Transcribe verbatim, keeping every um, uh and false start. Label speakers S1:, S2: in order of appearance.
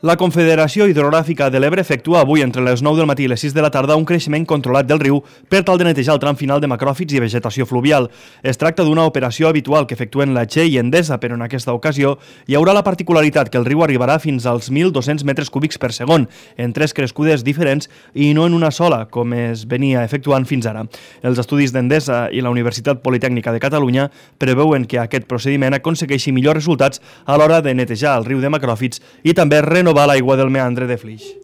S1: La Confederació Hidrogràfica de l'Ebre efectua avui entre les nou del matí i les sis de la tarda un creixement controlat del riu per tal de netejar el tram final de macròfits i vegetació fluvial. Es tracta d'una operació habitual que efectuen la Che i Endesa, però en aquesta ocasió hi haurà la particularitat que el riu arribarà fins als mil dos-cents metres cúbics per segon, en tres crescudes diferents i no en una sola, com es venia efectuant fins ara. Els estudis d'Endesa i la Universitat Politècnica de Catalunya preveuen que aquest procediment aconsegueixi millors resultats a l'hora de netejar el riu de macròfits i també renovar l'aigua del meandre de Flix.